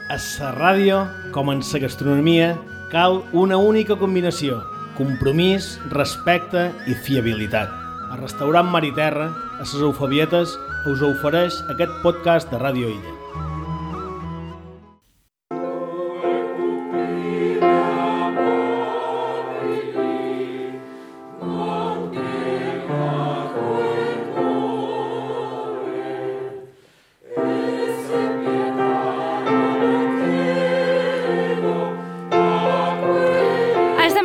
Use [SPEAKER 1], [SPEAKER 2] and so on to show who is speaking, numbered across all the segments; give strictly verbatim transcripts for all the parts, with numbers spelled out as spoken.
[SPEAKER 1] A la ràdio, com en la gastronomia, cal una única combinació: compromís, respecte i fiabilitat. El restaurant Mar i Terra, a les Eufebietes, us ofereix aquest podcast de Ràdio Illa.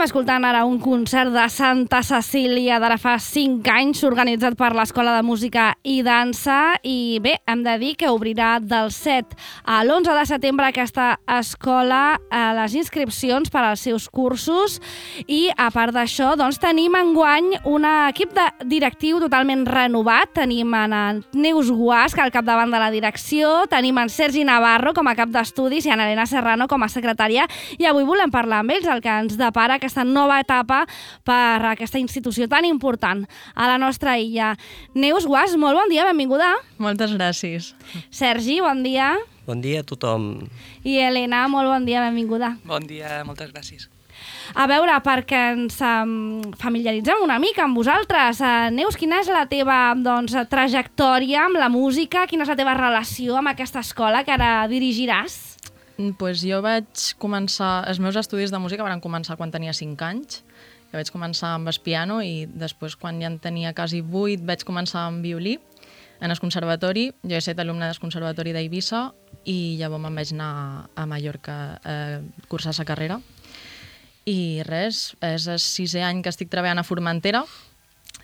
[SPEAKER 2] Escoltant ara un concert de Santa Cecília d'ara fa cinc anys, organitzat per l'Escola de Música i Dansa, i bé, hem de dir que obrirà del set a l'onze de setembre aquesta escola a les inscripcions per als seus cursos, i a part d'això doncs, tenim enguany un equip de directiu totalment renovat. Tenim en Neus Guasc al capdavant de la direcció, tenim en Sergi Navarro com a cap d'estudis i en Elena Serrano com a secretària, i avui volem parlar amb ells el que ens depara aquesta nova etapa per aquesta institució tan important a la nostra illa. Neus Guasc, molt bon dia, benvinguda.
[SPEAKER 3] Moltes gràcies.
[SPEAKER 2] Sergi, bon dia.
[SPEAKER 4] Bon dia a tothom.
[SPEAKER 2] I Elena, molt bon dia, benvinguda.
[SPEAKER 3] Bon dia, moltes gràcies.
[SPEAKER 2] A veure, perquè ens um, familiaritzem una mica amb vosaltres. Uh, Neus, quina és la teva doncs, trajectòria amb la música? Quina és la teva relació amb aquesta escola que ara dirigiràs?
[SPEAKER 3] Pues jo vaig començar... Els meus estudis de música van començar quan tenia cinc anys. Jo vaig començar amb el piano i després, quan ja en tenia quasi vuit, vaig començar amb violí en el conservatori. Jo he estat alumne del conservatori d'Eivissa i llavors me'n vaig anar a Mallorca a cursar la carrera. I res, és el sisè any que estic treballant a Formentera,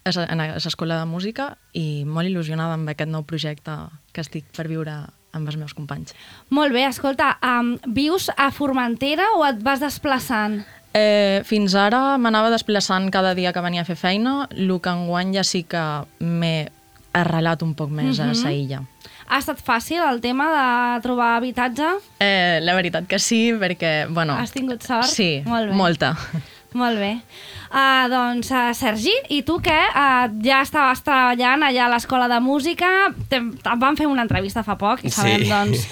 [SPEAKER 3] a l'escola de música, i molt il·lusionada amb aquest nou projecte que estic per viure amb els meus companys.
[SPEAKER 2] Molt bé, escolta, um, vius a Formentera o et vas desplaçant?
[SPEAKER 3] Eh, fins ara m'anava desplaçant cada dia que venia a fer feina, el que enguany ja sí que m'he arrelat un poc més uh-huh. a sa illa.
[SPEAKER 2] Ha estat fàcil el tema de trobar habitatge?
[SPEAKER 3] Eh, la veritat que sí, perquè, bueno...
[SPEAKER 2] Has tingut sort?
[SPEAKER 3] Sí,
[SPEAKER 2] molt bé.
[SPEAKER 3] molta.
[SPEAKER 2] Molt bé. Uh, doncs, uh, Sergi, i tu què? Uh, ja estaves treballant allà a l'Escola de Música. Te, et vam fer una entrevista fa poc i sabem sí. doncs,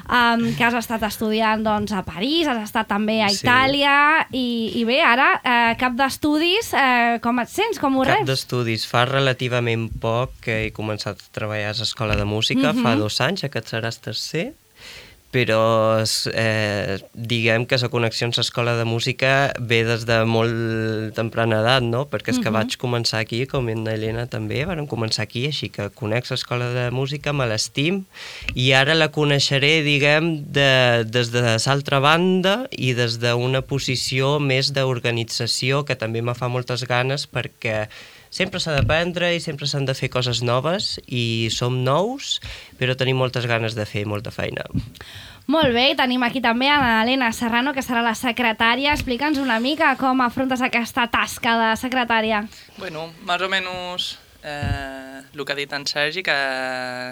[SPEAKER 2] um, que has estat estudiant doncs, a París, has estat també a Itàlia, sí. i, i bé, ara, uh, cap d'estudis, uh, com et sents? Com ho reps?
[SPEAKER 4] Cap d'estudis. Fa relativament poc que he començat a treballar a l'Escola de Música, uh-huh. fa dos anys, aquest serà el tercer, però eh, diguem que la connexió amb l'Escola de Música ve des de molt temprana edat, no? Perquè és que uh-huh. vaig començar aquí, com en Elena també, vam començar aquí, així que conec l'Escola de Música, me l'estim, i ara la coneixeré, diguem, de, des de l'altra banda i des d'una posició més d'organització, que també me fa moltes ganes, perquè sempre s'ha d'aprendre i sempre s'han de fer coses noves, i som nous, però tenim moltes ganes de fer molta feina.
[SPEAKER 2] Molt bé, tenim aquí també a Elena Serrano, que serà la secretària. Explica'ns una mica com afrontes aquesta tasca de secretària.
[SPEAKER 5] Bueno, més o menys eh, el que ha dit en Sergi, que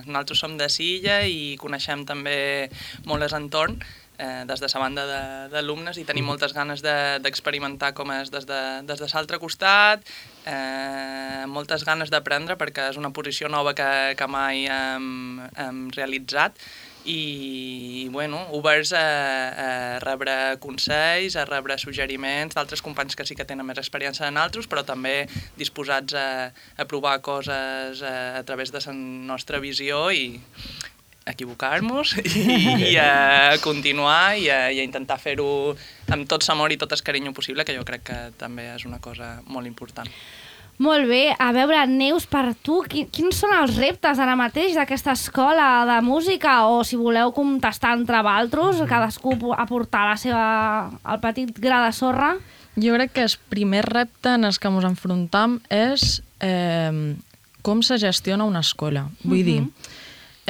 [SPEAKER 5] nosaltres som de Silla i coneixem també molt l'entorn, eh, des de la banda d'alumnes, i tenim moltes ganes d'experimentar de, com és des de, des de l'altre costat, eh, moltes ganes d'aprendre, perquè és una posició nova que, que mai hem, hem realitzat, i bueno, oberts a, a rebre consells, a rebre suggeriments d'altres companys que sí que tenen més experiència en altres, però també disposats a, a provar coses a, a través de la nostra visió i equivocar-nos i, i a continuar i a, i a intentar fer-ho amb tot l'amor i tot el carinyo possible, que jo crec que també és una cosa molt important.
[SPEAKER 2] Molt bé. A veure, Neus, per tu, quins són els reptes ara mateix d'aquesta escola de música? O si voleu contestar entre vosaltres, cadascú aportar la seva, el petit gra de sorra?
[SPEAKER 3] Jo crec que el primer repte en el que ens enfrontam és eh, com se gestiona una escola. Vull uh-huh. dir,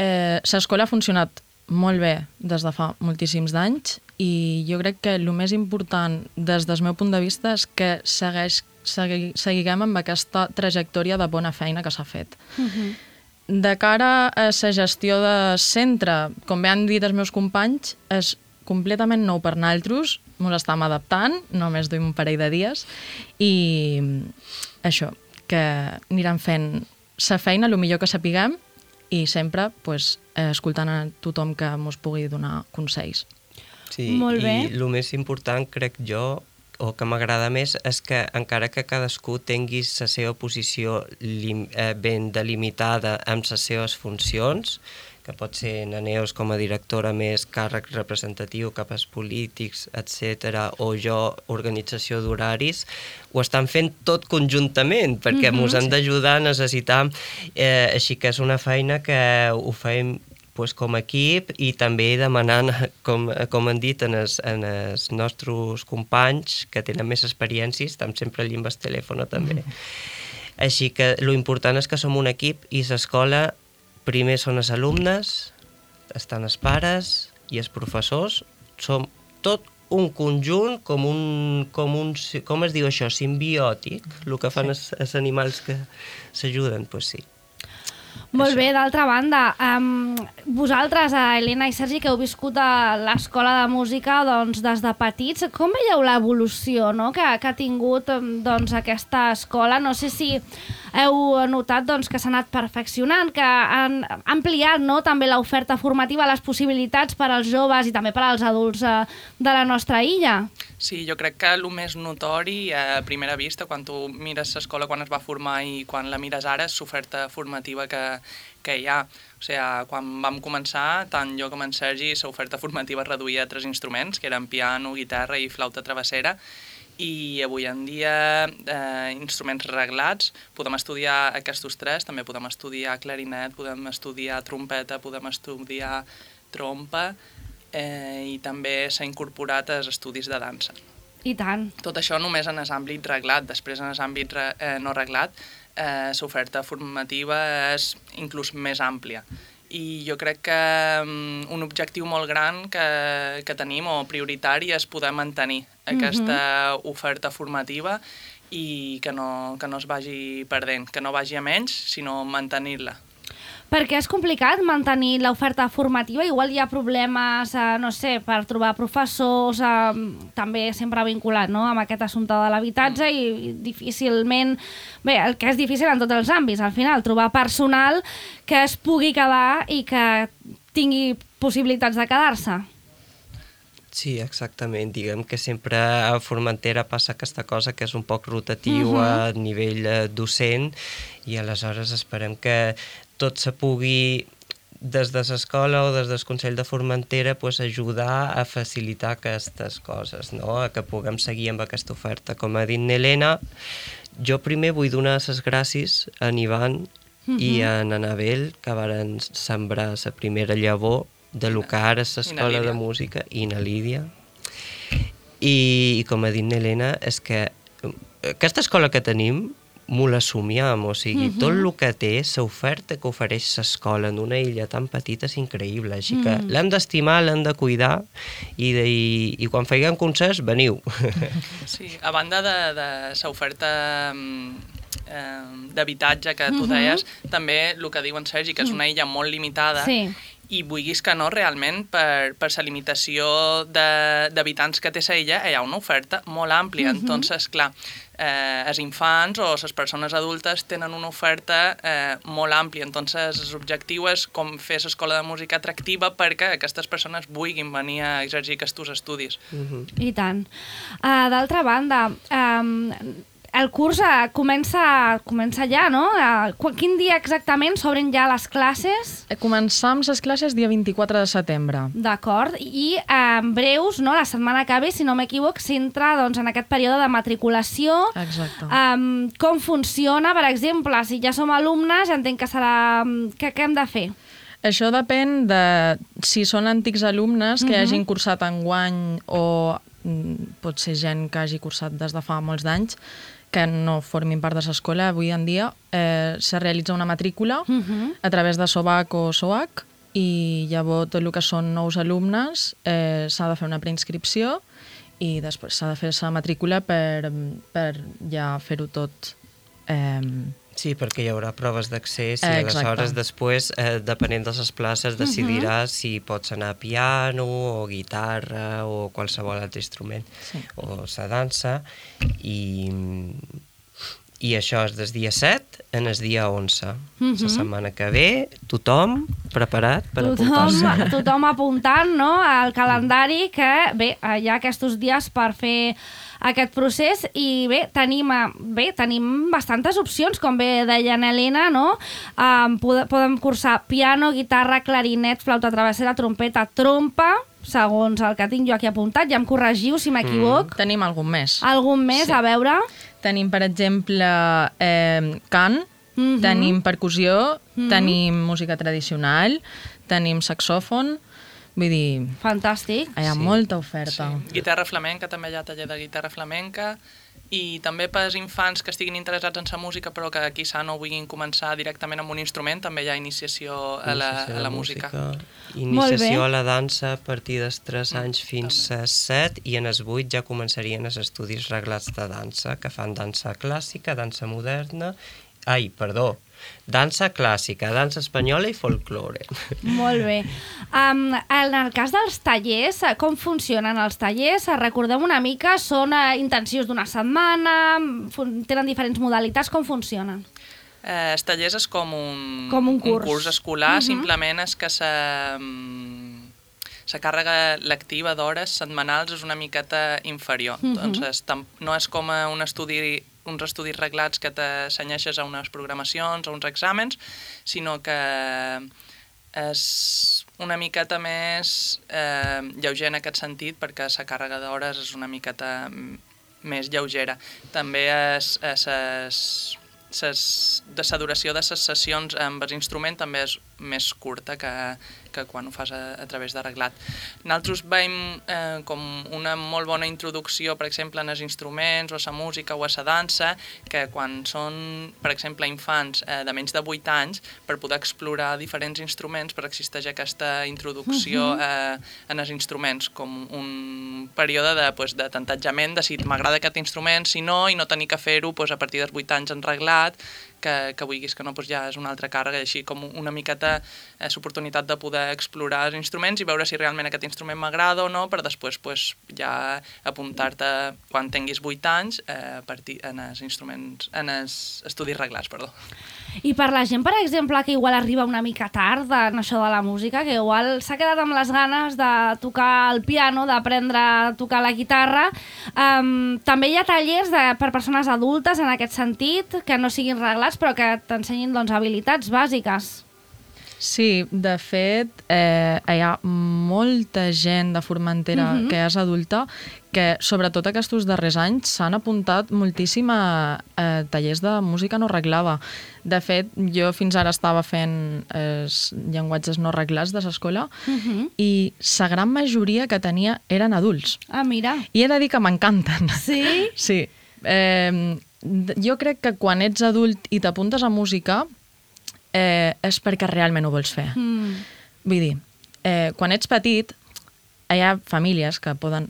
[SPEAKER 3] eh, l'escola ha funcionat molt bé des de fa moltíssims d'anys, i jo crec que el més important des del meu punt de vista és que segueix Segui, seguiguem amb aquesta trajectòria de bona feina que s'ha fet. Uh-huh. De cara a la gestió de centre, com bé han dit els meus companys, és completament nou per nosaltres, ens estem adaptant, només duim un parell de dies, i això, que anirem fent la feina el millor que sapiguem, i sempre pues, escoltant a tothom que ens pugui donar consells.
[SPEAKER 4] Sí,
[SPEAKER 2] Molt bé.
[SPEAKER 4] I el més important, crec jo, o que m'agrada més, és que encara que cadascú tingui la seva posició lim, eh, ben delimitada amb les seves funcions, que pot ser na Neus com a directora més càrrec representatiu cap als polítics, etcètera, o jo organització d'horaris, ho estan fent tot conjuntament, perquè ens
[SPEAKER 2] Mhm,
[SPEAKER 4] han d'ajudar a necessitar, eh, així que és una feina que ho fem pues, com a equip i també demanant, com, com han dit en els, en els nostres companys que tenen més experiències, estem sempre allà amb el telèfon també. Mm. Així que lo important és que som un equip i l'escola primer són els alumnes, estan els pares i els professors, som tot un conjunt com un, com un, com es diu això, simbiòtic, el que fan els, els animals que s'ajuden, doncs pues sí.
[SPEAKER 2] Molt
[SPEAKER 4] Això.
[SPEAKER 2] bé, d'altra banda, um, vosaltres, a Helena i Sergi, que heu viscut a l'escola de música doncs, des de petits, com veieu l'evolució, no? que, que ha tingut doncs, aquesta escola? No sé si heu notat doncs, que s'ha anat perfeccionant, que han ampliat no? també l'oferta formativa, les possibilitats per als joves i també per als adults eh, de la nostra illa.
[SPEAKER 5] Sí, jo crec que el més notori a primera vista, quan tu mires l'escola quan es va formar i quan la mires ara, és l'oferta formativa que, que hi ha. O sigui, quan vam començar, tant jo com en Sergi, l'oferta formativa es reduïa a tres instruments, que eren piano, guitarra i flauta travessera, i avui en dia eh, instruments reglats, podem estudiar aquests tres, també podem estudiar clarinet, podem estudiar trompeta, podem estudiar trompa, eh, i també s'ha incorporat als estudis de dansa.
[SPEAKER 2] I tant.
[SPEAKER 5] Tot això només en l'àmbit reglat. Després, en l'àmbit re, eh, no reglat, eh, l'oferta formativa és inclús més àmplia. I jo crec que um, un objectiu molt gran que, que tenim, o prioritari, és poder mantenir aquesta mm-hmm. oferta formativa i que no, que no es vagi perdent, que no vagi a menys, sinó mantenir-la.
[SPEAKER 2] Perquè és complicat mantenir l'oferta formativa, igual hi ha problemes, eh, no sé, per trobar professors, eh, també sempre vinculat no? amb aquest assumpte de l'habitatge i, i difícilment, bé, el que és difícil en tots els àmbits, al final, trobar personal que es pugui quedar i que tingui possibilitats de quedar-se.
[SPEAKER 4] Sí, exactament. Diguem que sempre a Formentera passa aquesta cosa que és un poc rotatiu uh-huh. a nivell eh, docent i aleshores esperem que tot se pugui des de l'escola o des del Consell de Formentera pues, ajudar a facilitar aquestes coses, no? A que puguem seguir amb aquesta oferta. Com ha dit Helena, jo primer vull donar les gràcies a en Ivan uh-huh. i a en Anabel, que varen sembrar la primera llavor de lo que ara és l'escola de música, i na Lídia. I, i com ha dit Helena, és que aquesta escola que tenim m'ho l'assumíem, o sigui, uh-huh. tot el que té, l'oferta que ofereix l'escola en una illa tan petita és increïble, així que uh-huh. l'hem d'estimar, l'hem de cuidar i, de, i, i quan feien concerts, veniu.
[SPEAKER 5] Sí, a banda de, de l'oferta eh, d'habitatge que tu uh-huh. deies, també el que diu en Sergi, que és una illa molt limitada,
[SPEAKER 2] sí.
[SPEAKER 5] i vulguis que no, realment, per, per la limitació d'habitants que té la illa, hi ha una oferta molt àmplia. Uh-huh. Entonces, clar, eh, els infants o les persones adultes tenen una oferta eh, molt àmplia. Entonces, l'objectiu és com fer l'escola de música atractiva perquè aquestes persones vulguin venir a exercir aquests estudis.
[SPEAKER 4] Uh-huh.
[SPEAKER 2] I tant. Uh, D'altra banda, um, el curs uh, comença, comença ja, no? Uh, quin dia exactament s'obren ja les classes?
[SPEAKER 3] Començam les classes dia vint-i-quatre de setembre.
[SPEAKER 2] D'acord. I uh, en breus, no? La setmana que ve, si no m'equivoc, s'entra doncs, en aquest període de matriculació.
[SPEAKER 3] Exacte.
[SPEAKER 2] Um, com funciona, per exemple, si ja som alumnes, entenc que serà... Què, què hem de fer?
[SPEAKER 3] Això depèn de si són antics alumnes que
[SPEAKER 2] Uh-huh.
[SPEAKER 3] hagin cursat enguany o mm, pot ser gent que hagi cursat des de fa molts d'anys, que no formin part de l'escola avui en dia, eh, se realitza una matrícula
[SPEAKER 2] Uh-huh.
[SPEAKER 3] a través de SOVAC o SOAC i llavors tot el que són nous alumnes eh, s'ha de fer una preinscripció i després s'ha de fer la matrícula per, per ja fer-ho tot. Eh,
[SPEAKER 4] Sí, perquè hi haurà proves d'accés i
[SPEAKER 3] Eh,
[SPEAKER 4] aleshores
[SPEAKER 3] exacte.
[SPEAKER 4] després, eh, depenent de les places, decidiràs uh-huh. si pots anar a piano o guitarra o qualsevol altre instrument
[SPEAKER 3] Sí.
[SPEAKER 4] o la dansa i, I això és des dia set en el dia onze.
[SPEAKER 2] Mhm.
[SPEAKER 4] La setmana que ve, tothom preparat per
[SPEAKER 2] Tothom,
[SPEAKER 4] apuntar-se.
[SPEAKER 2] tothom apuntant, no?, al calendari, que bé, hi ha aquests dies per fer aquest procés i bé, tenim, eh, bé, tenim bastantes opcions, com bé deia Helena, no? Um, pod podem cursar piano, guitarra, clarinet, flauta travessera, trompeta, trompa, segons el que tinc jo aquí apuntat, ja em corregiu si m'equivoc.
[SPEAKER 3] Mm. Tenim algun més.
[SPEAKER 2] Algun més,
[SPEAKER 3] Sí.
[SPEAKER 2] a veure?
[SPEAKER 3] Tenim, per exemple, eh, cant,
[SPEAKER 2] Mhm.
[SPEAKER 3] tenim percussió,
[SPEAKER 2] Mhm.
[SPEAKER 3] tenim música tradicional, tenim saxòfon, vull dir,
[SPEAKER 2] Fantàstic.
[SPEAKER 3] hi ha
[SPEAKER 4] Sí.
[SPEAKER 3] molta oferta.
[SPEAKER 5] Sí. Guitarra flamenca, també hi ha taller de guitarra flamenca, i també per als infants que estiguin interessats en la música però que quizà no vulguin començar directament amb un instrument, també hi ha iniciació a la,
[SPEAKER 4] Iniciació
[SPEAKER 5] a la
[SPEAKER 4] de
[SPEAKER 5] música.
[SPEAKER 4] Iniciació
[SPEAKER 2] Molt
[SPEAKER 4] a la dansa a partir dels tres
[SPEAKER 5] Mm,
[SPEAKER 4] anys fins a set, i en els vuit ja començarien els estudis reglats de dansa, que fan dansa clàssica, dansa moderna, ai, perdó, dansa clàssica, dansa espanyola i folklore.
[SPEAKER 2] Molt bé. Um, en el cas dels tallers, eh, com funcionen els tallers? Eh, Recordem una mica, són eh, intensius d'una setmana, fun- tenen diferents modalitats, com funcionen?
[SPEAKER 5] Eh, els tallers és com un,
[SPEAKER 2] Com un curs.
[SPEAKER 5] un curs escolar,
[SPEAKER 2] Mhm.
[SPEAKER 5] simplement és que sa, mm, sa càrrega lectiva d'hores setmanals és una miqueta inferior.
[SPEAKER 2] Mhm.
[SPEAKER 5] Doncs tam- no és com a un estudi, uns estudis reglats que t'assenyeixes a unes programacions, a uns exàmens, sinó que és una miqueta més eh, lleuger en aquest sentit, perquè la càrrega d'hores és una miqueta mm, més lleugera. També és, és, és ses, de la duració de les sessions amb els instruments també és més curta que, que quan ho fas a, a través de reglat. Nosaltres veiem eh, com una molt bona introducció, per exemple, en els instruments o a la música o a la dansa, que quan són, per exemple, infants eh, de menys de vuit anys, per poder explorar diferents instruments, però existeix aquesta introducció eh, en els instruments, com un període de, pues, de tantatjament, de si m'agrada aquest instrument, si no, i no tenir que fer-ho pues, a partir dels vuit anys en reglat, que, que vulguis que no, doncs ja és una altra càrrega, així com una miqueta eh, l'oportunitat de poder explorar els instruments i veure si realment aquest instrument m'agrada o no, per després pues, ja apuntar-te quan tinguis vuit anys eh, a partir, en els instruments, en els estudis reglats, perdó.
[SPEAKER 2] I per la gent, per exemple, que igual arriba una mica tard en això de la música, que igual s'ha quedat amb les ganes de tocar el piano, d'aprendre a tocar la guitarra, um, també hi ha tallers de, per persones adultes en aquest sentit, que no siguin reglats, però que t'ensenyin doncs, habilitats bàsiques.
[SPEAKER 3] Sí, de fet, eh, hi ha molta gent de Formentera
[SPEAKER 2] Mhm.
[SPEAKER 3] que és adulta que, sobretot aquests darrers anys, s'han apuntat moltíssim a, a tallers de música no reglada. De fet, jo fins ara estava fent els llenguatges no reglats de l'escola
[SPEAKER 2] Mhm.
[SPEAKER 3] i la gran majoria que tenia eren adults.
[SPEAKER 2] Ah, mira.
[SPEAKER 3] I he de dir que m'encanten.
[SPEAKER 2] Sí?
[SPEAKER 3] Sí. Eh, jo crec que quan ets adult i t'apuntes a música eh, és perquè realment ho vols fer.
[SPEAKER 2] Mm.
[SPEAKER 3] Vull dir, eh, quan ets petit, hi ha famílies que poden,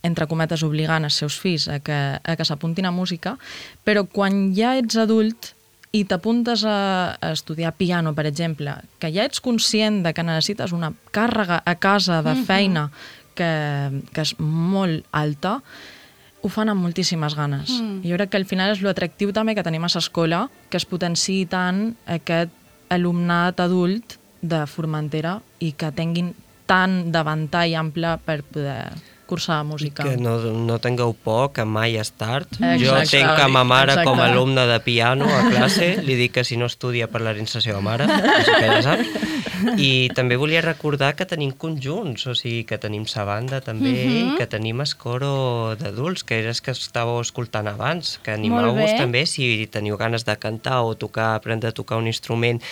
[SPEAKER 3] entre cometes, obligant els seus fills a que, a que s'apuntin a música, però quan ja ets adult i t'apuntes a, a estudiar piano, per exemple, que ja ets conscient de que necessites una càrrega a casa de feina que, que és molt alta, ho fan amb moltíssimes ganes.
[SPEAKER 2] Mm.
[SPEAKER 3] Jo crec que al final és l'atractiu també que tenim a l'escola, que es potenciï tant aquest alumnat adult de Formentera i que tinguin tant de ventall ample per poder cursar música.
[SPEAKER 4] Que no, no tingueu por, que mai és tard.
[SPEAKER 3] Exacte.
[SPEAKER 4] Jo tinc a ma mare
[SPEAKER 3] Exacte.
[SPEAKER 4] com a alumne de piano a classe, li dic que si no estudia parlarem-se la seva mare, així que ja saps. I també volia recordar que tenim conjunts, o sigui, que tenim sa banda també,
[SPEAKER 2] Mhm.
[SPEAKER 4] i que tenim el coro d'adults, que és que estàveu escoltant abans, que
[SPEAKER 2] Molt
[SPEAKER 4] animeu-vos
[SPEAKER 2] bé.
[SPEAKER 4] també si teniu ganes de cantar o tocar, aprendre a tocar un instrument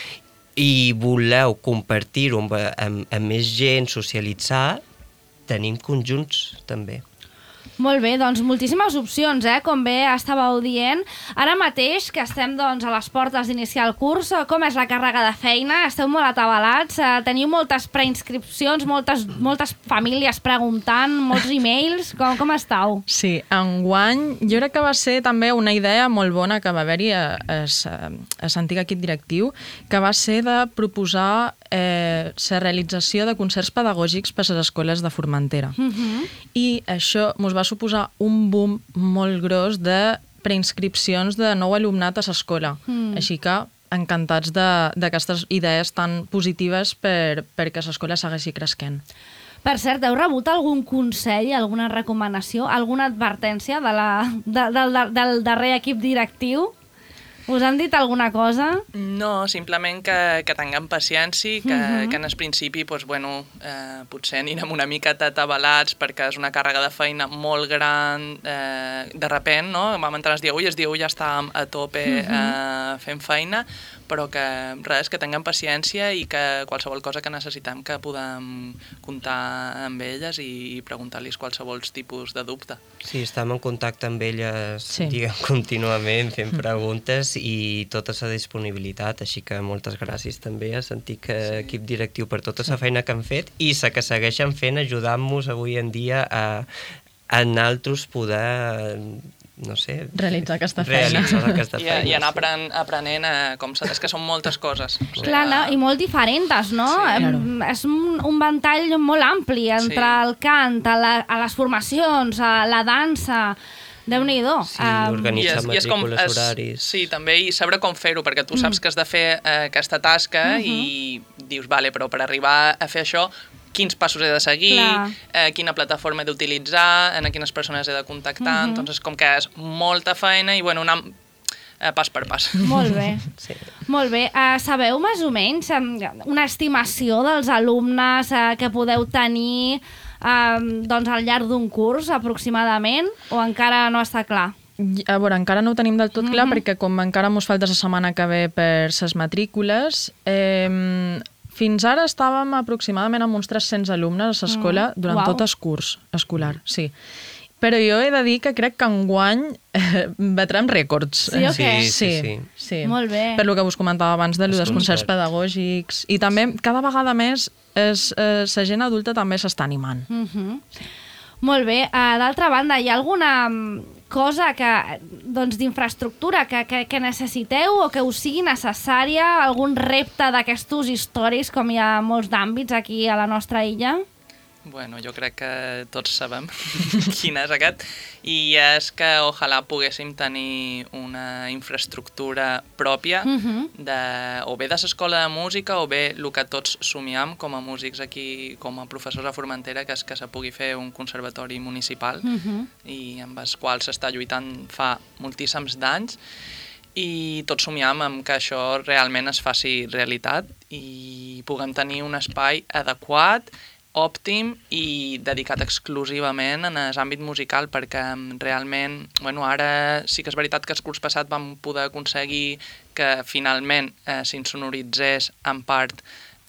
[SPEAKER 4] i voleu compartir-ho amb, amb, amb més gent, socialitzar, tenim conjunts també.
[SPEAKER 2] Molt bé, doncs moltíssimes opcions, eh? Com bé estàveu dient. Ara mateix, que estem doncs, a les portes d'iniciar el curs, com és la càrrega de feina? Esteu molt atabalats? Eh, teniu moltes preinscripcions, moltes, moltes famílies preguntant, molts e-mails? Com, com estàu?
[SPEAKER 3] Sí, enguany jo crec que va ser també una idea molt bona que va haver-hi a, a, a l'antic equip directiu, que va ser de proposar eh, la realització de concerts pedagògics per a les escoles de Formentera.
[SPEAKER 2] Uh-huh.
[SPEAKER 3] I això mos va suposar un boom molt gros de preinscripcions de nou alumnat a l'escola. Mm. Així que encantats d'aquestes idees tan positives per, perquè l'escola segueixi creixent.
[SPEAKER 2] Per cert, heu rebut algun consell, alguna recomanació, alguna advertència de la, de, de, de, del darrer equip directiu? Us han dit alguna cosa?
[SPEAKER 5] No, simplement que, que tinguem paciència, que, uh-huh. que en el principi pues, bueno, eh, potser anirem una mica atabalats perquè és una càrrega de feina molt gran, eh, de repent, no? Vam entrar el dia u i el dia u ja estàvem a tope uh-huh. eh, fent feina, però que res, que tinguem paciència i que qualsevol cosa que necessitem que podem comptar amb elles i preguntar-los qualsevol tipus de dubte.
[SPEAKER 4] Sí, estem en contacte amb elles
[SPEAKER 3] sí.
[SPEAKER 4] diguem, contínuament fent preguntes i tota la disponibilitat, així que moltes gràcies també a sentir que sí. equip directiu per tota la feina que han fet i la que segueixen fent ajudant-nos avui en dia a, a nosaltres poder no sé...
[SPEAKER 3] Realitzar aquesta feina.
[SPEAKER 4] Realitzar aquesta feina.
[SPEAKER 5] I, i anar apren, aprenent, eh, com és que són moltes coses. O sigui,
[SPEAKER 2] clar, no? I molt diferents, no?
[SPEAKER 5] Sí.
[SPEAKER 2] Claro. És un, un ventall molt ampli entre sí. el cant, a, la, a les formacions, a la dansa... Déu-n'hi-do.
[SPEAKER 4] Sí, um, organitzar
[SPEAKER 5] i és,
[SPEAKER 4] matrícules,
[SPEAKER 5] i és com,
[SPEAKER 4] horaris...
[SPEAKER 5] Sí, també, i saber com fer-ho, perquè tu saps mm. que has de fer eh, aquesta tasca uh-huh. i dius, vale, però per arribar a fer això, quins passos he de seguir, eh, quina plataforma he d'utilitzar, en quines persones he de contactar, uh-huh. doncs com que és molta feina i, bueno, anar eh, pas per pas.
[SPEAKER 2] Molt bé.
[SPEAKER 4] Sí.
[SPEAKER 2] Molt bé. Uh, sabeu més o menys una estimació dels alumnes uh, que podeu tenir Um, doncs al llarg d'un curs, aproximadament, o encara no està clar?
[SPEAKER 3] A veure, encara no ho tenim del tot clar, mm-hmm. perquè com encara mos falta la setmana que ve per ses matrícules, eh, fins ara estàvem aproximadament amb uns tres-cents alumnes a l'escola mm. durant wow. tot el curs escolar, sí. Però jo he de dir que crec que enguany eh, batrem rècords.
[SPEAKER 2] Sí, o què?
[SPEAKER 4] Sí, sí, sí.
[SPEAKER 3] sí.
[SPEAKER 2] Molt bé.
[SPEAKER 3] Per lo que us comentava abans de, dels concerts pedagògics. I també, cada vegada més, és, eh, la gent adulta també s'està animant.
[SPEAKER 2] Uh-huh. Molt bé. Uh, D'altra banda, hi ha alguna cosa que, doncs, d'infraestructura que, que, que necessiteu o que us sigui necessària? Algun repte d'aquestos històrics, com hi ha molts d'àmbits aquí a la nostra illa?
[SPEAKER 5] Bueno, jo crec que tots sabem quin és aquest, i és que ojalà poguéssim tenir una infraestructura pròpia, uh-huh. de, o bé de l'escola de música o bé el que tots somiem com a músics aquí, com a professors a Formentera, que és que se pugui fer un conservatori municipal, uh-huh. i amb els quals s'està lluitant fa moltíssims d'anys, i tots somiem amb que això realment es faci realitat i puguem tenir un espai adequat, òptim i dedicat exclusivament en l'àmbit musical, perquè realment, bueno, ara sí que és veritat que el curs passat vam poder aconseguir que finalment eh, s'insonoritzés en part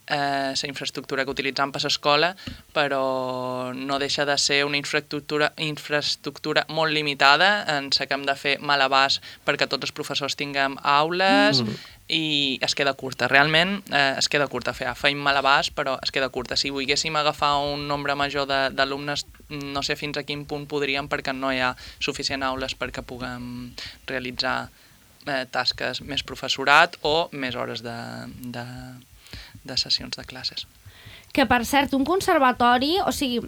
[SPEAKER 5] eh, la infraestructura que utilitzam per l'escola, però no deixa de ser una infraestructura, infraestructura molt limitada en la que hem de fer malabars perquè tots els professors tinguem aules, mm. i es queda curta, realment eh, es queda curta, fer, feim malabars però es queda curta. Si volguéssim agafar un nombre major d'alumnes, no sé fins a quin punt podríem, perquè no hi ha suficient aules perquè puguem realitzar eh, tasques més professorat o més hores de, de, de sessions de classes.
[SPEAKER 2] Que, per cert, un conservatori, o sigui,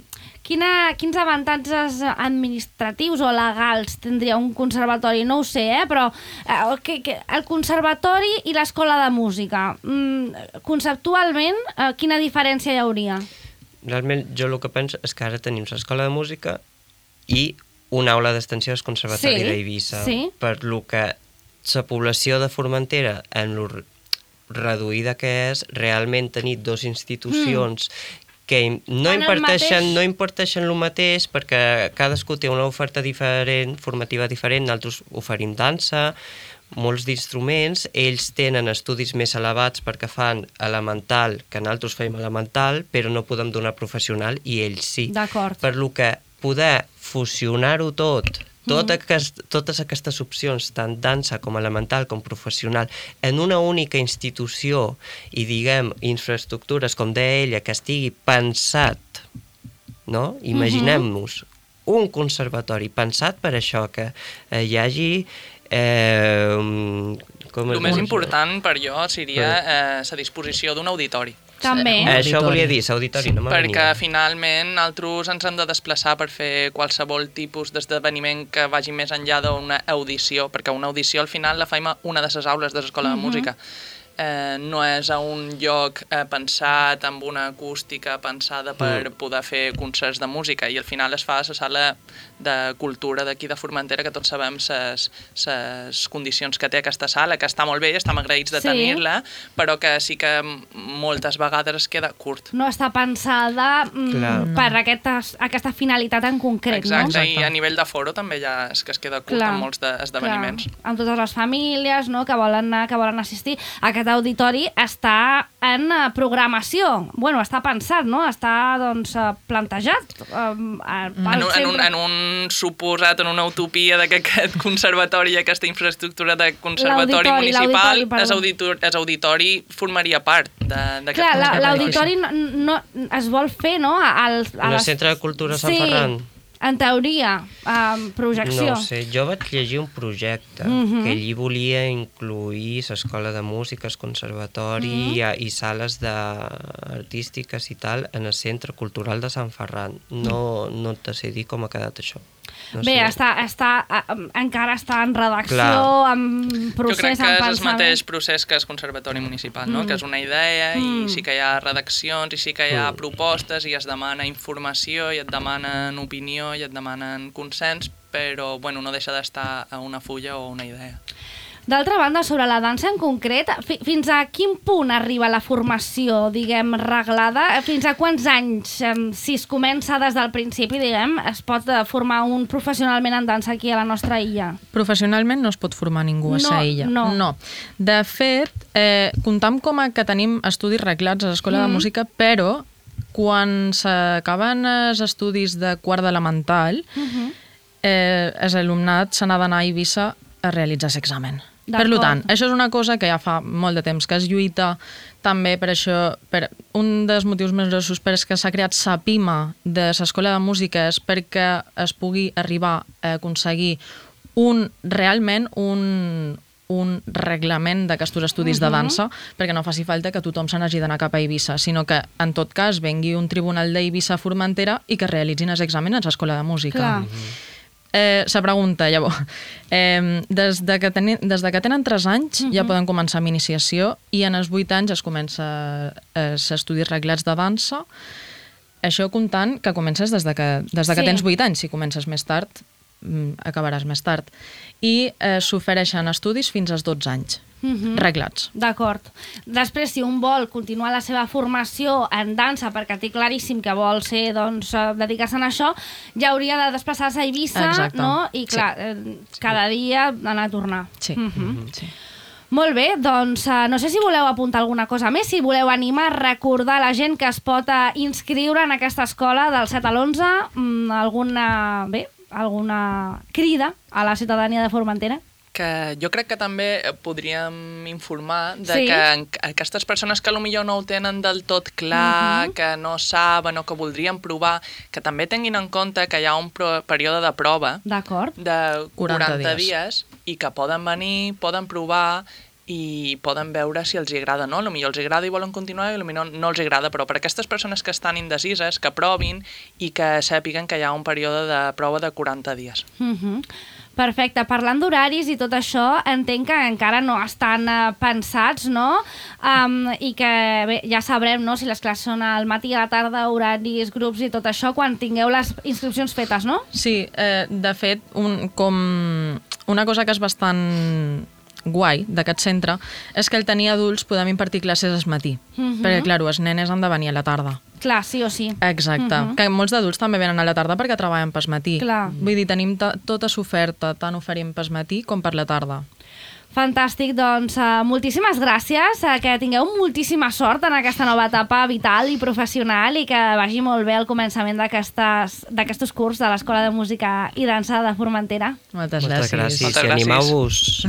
[SPEAKER 2] quina, quins avantatges administratius o legals tindria un conservatori? No ho sé, eh? Però eh, que, que el conservatori i l'escola de música, mm, conceptualment, eh, quina diferència hi hauria?
[SPEAKER 4] Realment, jo el que penso és que ara tenim l'escola de música i una aula d'extensió del Conservatori
[SPEAKER 2] sí,
[SPEAKER 4] d'Eivissa.
[SPEAKER 2] Sí.
[SPEAKER 4] Per lo que la població de Formentera, en lo reduïda que és, realment tenir dues institucions mm. que no imparteixen, no imparteixen el mateix, perquè cadascú té una oferta diferent, formativa diferent, nosaltres oferim dansa, molts d'instruments, ells tenen estudis més elevats perquè fan elemental, que nosaltres fem elemental, però no podem donar professional i ells sí.
[SPEAKER 2] D'acord.
[SPEAKER 4] Per lo que poder fusionar-ho tot, Tot aquest, totes aquestes opcions, tant dansa com elemental com professional, en una única institució i, diguem, infraestructures, com deia ella, que estigui pensat, no? Imaginem-nos un conservatori pensat per això, que eh, hi hagi... Eh,
[SPEAKER 5] com el més important per jo seria eh, la disposició d'un auditori.
[SPEAKER 2] També.
[SPEAKER 4] Eh, això volia dir, l'auditori, no me venia.
[SPEAKER 5] Perquè finalment nosaltres ens hem de desplaçar per fer qualsevol tipus d'esdeveniment que vagi més enllà d'una audició, perquè una audició al final la fem a una de les aules de l'escola de música. Eh, no és a un lloc eh, pensat amb una acústica pensada per poder fer concerts de música, i al final es fa a la sala de cultura d'aquí de Formentera, que tots sabem les condicions que té aquesta sala, que està molt bé, estem agraïts de
[SPEAKER 2] Sí.
[SPEAKER 5] tenir-la, però que sí que moltes vegades es queda curt.
[SPEAKER 2] No està pensada mm,
[SPEAKER 4] Clar.
[SPEAKER 2] per aquesta, aquesta finalitat en concret,
[SPEAKER 5] Exacte,
[SPEAKER 2] no?
[SPEAKER 5] i a nivell de foro també ja és que es queda curt
[SPEAKER 2] Clar,
[SPEAKER 5] en molts de- esdeveniments.
[SPEAKER 2] Clar, amb totes les famílies, no?, que volen anar, que volen assistir. Aquest auditori està en eh, programació. Bueno, està pensat, no? Està, doncs, eh, plantejat. Eh,
[SPEAKER 5] En un, en, un, en un suposat, en una utopia de que aquest conservatori i aquesta infraestructura de conservatori
[SPEAKER 2] L'auditori,
[SPEAKER 5] municipal,
[SPEAKER 2] l'auditori,
[SPEAKER 5] és auditori, és auditori formaria part de- d'aquest
[SPEAKER 2] Clar, la-
[SPEAKER 5] conservatori.
[SPEAKER 2] l'auditori no, no, es vol fer, no?, al, a
[SPEAKER 4] En el
[SPEAKER 2] les-
[SPEAKER 4] Centre de Cultura Sant
[SPEAKER 2] sí,
[SPEAKER 4] Ferran.
[SPEAKER 2] en teoria, amb projecció.
[SPEAKER 4] No ho sé, jo vaig llegir un projecte
[SPEAKER 2] Mhm.
[SPEAKER 4] que allí volia incluir l'escola de música, el conservatori
[SPEAKER 2] Mhm.
[SPEAKER 4] i, i sales de artístiques i tal en el Centre Cultural de Sant Ferran. No, no te sé dir com ha quedat això. No
[SPEAKER 2] Bé,
[SPEAKER 4] sé.
[SPEAKER 2] està, està, eh, encara està en redacció,
[SPEAKER 4] Clar.
[SPEAKER 2] en
[SPEAKER 5] Jo
[SPEAKER 2] procés,
[SPEAKER 5] crec que
[SPEAKER 2] en
[SPEAKER 5] és el
[SPEAKER 2] pensament.
[SPEAKER 5] mateix procés que el conservatori municipal, no?
[SPEAKER 2] Mm.
[SPEAKER 5] Que és una idea
[SPEAKER 2] Mm.
[SPEAKER 5] i sí que hi ha redaccions i sí que hi ha
[SPEAKER 4] Mm.
[SPEAKER 5] propostes i es demana informació i et demanen opinió i et demanen consens, però bueno, no deixa d'estar a una fulla o una idea.
[SPEAKER 2] D'altra banda, sobre la dansa en concret, fi, fins a quin punt arriba la formació, diguem, reglada? Fins a quants anys, em, si es comença des del principi, diguem, es pot eh, formar un professionalment en dansa aquí a la nostra illa?
[SPEAKER 3] Professionalment no es pot formar ningú a
[SPEAKER 2] No,
[SPEAKER 3] sa illa.
[SPEAKER 2] no.
[SPEAKER 3] no. De fet, eh, comptam com a que tenim estudis reglats a l'Escola
[SPEAKER 2] Mm.
[SPEAKER 3] de Música, però quan s'acaben els estudis de quart d'elemental,
[SPEAKER 2] Uh-huh.
[SPEAKER 3] eh, els alumnat se n'ha d'anar a Eivissa a realitzar l'examen. Per
[SPEAKER 2] D'acord.
[SPEAKER 3] tant, això és una cosa que ja fa molt de temps que es lluita també per això, per un dels motius més grossos per què s'ha creat la PIMA de l'Escola de Música és perquè es pugui arribar a aconseguir un, realment un, un reglament d'aquests estudis de dansa, perquè no faci falta que tothom se n'hagi d'anar cap a Eivissa, sinó que, en tot cas, vengui un tribunal d'Eivissa a Formentera i que realitzin els exàmens a l'Escola de Música.
[SPEAKER 2] Clar.
[SPEAKER 3] Eh, la pregunta, llavors, eh, des, de que teni, des de que tenen tres anys uh -huh. ja poden començar amb iniciació i en els vuit anys es comença els estudis reglats de dansa. Això comptant que comences des de que, des de que
[SPEAKER 2] Sí.
[SPEAKER 3] tens vuit anys. Si comences més tard, mm, acabaràs més tard. I eh, s'ofereixen estudis fins als dotze anys,
[SPEAKER 2] Mhm.
[SPEAKER 3] reglats.
[SPEAKER 2] D'acord. Després, si un vol continuar la seva formació en dansa, perquè té claríssim que vol ser, doncs, eh, dedicar-se a això, ja hauria de desplaçar-se a Eivissa,
[SPEAKER 3] Exacte.
[SPEAKER 2] no? I, clar, eh, cada dia anar a tornar.
[SPEAKER 3] Sí.
[SPEAKER 2] Mhm.
[SPEAKER 3] sí.
[SPEAKER 2] Molt bé, doncs eh, no sé si voleu apuntar alguna cosa més, si voleu animar, recordar a la gent que es pot eh, inscriure en aquesta escola del set a l'onze, mm, alguna, bé, alguna crida a la ciutadania de Formentera.
[SPEAKER 5] Que jo crec que també podríem informar de
[SPEAKER 2] Sí.
[SPEAKER 5] que en- aquestes persones que potser no ho tenen del tot clar,
[SPEAKER 2] Mhm.
[SPEAKER 5] que no saben o que voldrien provar, que també tinguin en compte que hi ha un pro- període de prova
[SPEAKER 2] D'acord.
[SPEAKER 5] de
[SPEAKER 3] quaranta
[SPEAKER 5] quaranta
[SPEAKER 3] dies.
[SPEAKER 5] dies i que poden venir, poden provar i poden veure si els agrada, no? Potser els agrada i volen continuar i potser no, no els agrada, però per aquestes persones que estan indecises, que provin i que sàpiguen que hi ha un període de prova de quaranta dies.
[SPEAKER 2] Mhm. Perfecte. Parlant d'horaris i tot això, entenc que encara no estan eh, pensats, no? Um, I que bé, ja sabrem, no?, si les classes són al matí, a la tarda, horaris, grups i tot això, quan tingueu les inscripcions fetes, no?
[SPEAKER 3] Sí, eh, de fet, un, com una cosa que és bastant guai d'aquest centre és que al tenir adults podem impartir classes al matí,
[SPEAKER 2] Mhm.
[SPEAKER 3] perquè, clar, els nenes han de venir a la tarda.
[SPEAKER 2] Clar, sí o sí.
[SPEAKER 3] Exacte,
[SPEAKER 2] Mhm.
[SPEAKER 3] que molts d'adults també venen a la tarda perquè treballen pel matí.
[SPEAKER 2] Clar.
[SPEAKER 3] Vull dir, tenim ta- tota l'oferta, tant oferim pel matí com per la tarda.
[SPEAKER 2] Fantàstic, doncs uh, moltíssimes gràcies, uh, que tingueu moltíssima sort en aquesta nova etapa vital i professional i que vagi molt bé el començament d'aquests curs de l'Escola de Música i Dansa de Formentera.
[SPEAKER 3] Moltes,
[SPEAKER 4] Moltes gràcies.
[SPEAKER 5] Moltes
[SPEAKER 4] I
[SPEAKER 5] gràcies.
[SPEAKER 4] animeu-vos.